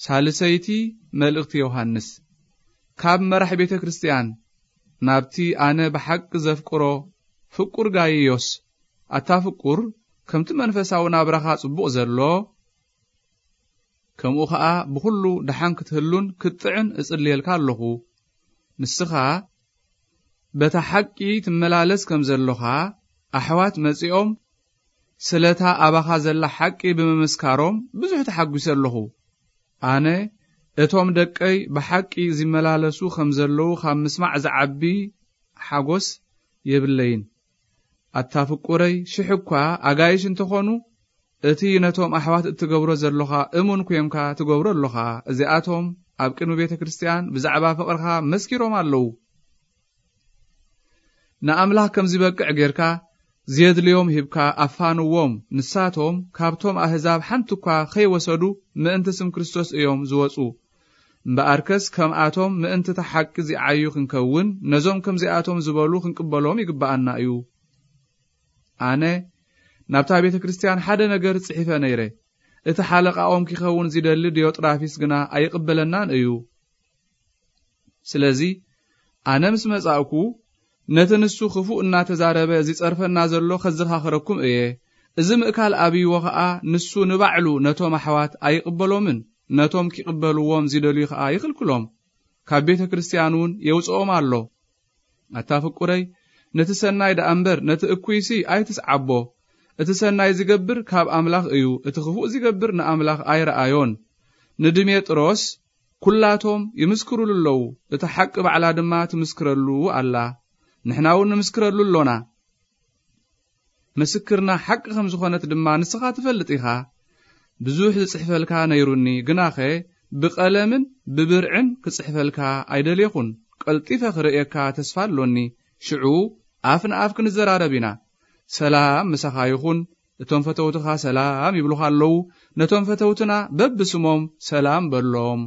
ሳልሰይቲ መልእኽቲ ዮሃንስ። ካብ መራሕ ቤተ ክርስቲያን ናብቲ ኣነ ብሓቂ ዘፍቅሮ ፍቁር ጋይዮስ፣ ኣታ ፍቁር፣ ከምቲ መንፈሳዊ ናብራኻ ጽቡቕ ዘሎ፣ ከምኡ ኸኣ ብኹሉ ደሓን ክትህሉን ክትጥዕን እጽልየልካ ኣለኹ። ንስኻ በታ ሓቂ ትመላለስ ከም ዘሎኻ፣ ኣሕዋት መጺኦም ስለታ ኣባኻ ዘላ ሓቂ ብምምስካሮም ብዙሕ ተሓጒሰ ኣለኹ። ኣነ እቶም ደቀይ ብሓቂ ዝመላለሱ ከም ዘለዉ ካብ ምስማዕ ዝዓቢ ሓጎስ የብለይን። ኣታ ፍቁረይ፣ ሽሕ እኳ ኣጋይሽ እንተኾኑ፣ እቲ ነቶም ኣሕዋት እትገብሮ ዘሎኻ እሙን ኮንካ ትገብሮ ኣሎኻ። እዚኣቶም ኣብ ቅድሚ ቤተ ክርስቲያን ብዛዕባ ፍቕርኻ መስኪሮም ኣለዉ። ንኣምላኽ ከም ዝበቅዕ ጌርካ፣ ዘየድልዮም ሂብካ ኣፋንዎም። ንሳቶም ካብቶም ኣህዛብ ሓንቲ እኳ ከይወሰዱ ምእንቲ ስም ክርስቶስ እዮም ዝወጹ። እምበኣርከስ ከምኣቶም ምእንቲ እታ ሓቂ ዚዓዩ ክንከውን፣ ነዞም ከምዚኣቶም ዝበሉ ክንቅበሎም ይግብኣና እዩ። ኣነ ናብታ ቤተ ክርስቲያን ሓደ ነገር ጽሒፈ ነይረ። እቲ ሓለቓኦም ኪኸውን ዚደሊ ዲዮጥራፊስ ግና ኣይቕበለናን እዩ። ስለዚ ኣነ ምስ መጻእኩ፣ ነቲ ንሱ ክፉእ እናተዛረበ ዚጸርፈና ዘሎ ኸዘኻኽረኩም እየ። እዚ ምእካል ኣብይዎ ኸኣ፣ ንሱ ንባዕሉ ነቶም ኣሕዋት ኣይቕበሎምን፣ ነቶም ኪቕበልዎም ዚደልዩ ኸኣ ይኽልክሎም፣ ካብ ቤተ ክርስቲያን እውን የውጽኦም ኣሎ። ኣታ ፍቁረይ፣ ነቲ ሰናይ ደኣ እምበር ነቲ እኩይሲ ኣይትስዓቦ። እቲ ሰናይ ዚገብር ካብ ኣምላኽ እዩ፣ እቲ ኽፉእ ዚገብር ንኣምላኽ ኣይረኣዮን። ንድሜጥሮስ ኩላቶም ይምስክሩሉ ኣለዉ፣ እታ ሓቂ ባዕላ ድማ ትምስክረሉ ኣላ። ንሕና እውን ንምስክረሉ ኣሎና። ምስክርና ሓቂ ከም ዝኾነት ድማ ንስኻ ትፈልጥ ኢኻ። ብዙሕ ዝጽሕፈልካ ነይሩኒ፣ ግናኸ ብቐለምን ብብርዕን ክጽሕፈልካ ኣይደልየኹን። ቀልጢፈ ክርእየካ ተስፋ ኣሎኒ። ሽዑ ኣፍ ንኣፍ ክንዘራረብ ኢና። ሰላም ምሳኻ ይኹን። እቶም ፈተውትኻ ሰላም ይብሉኻ ኣለዉ። ነቶም ፈተውትና በብስሞም ሰላም በሎም።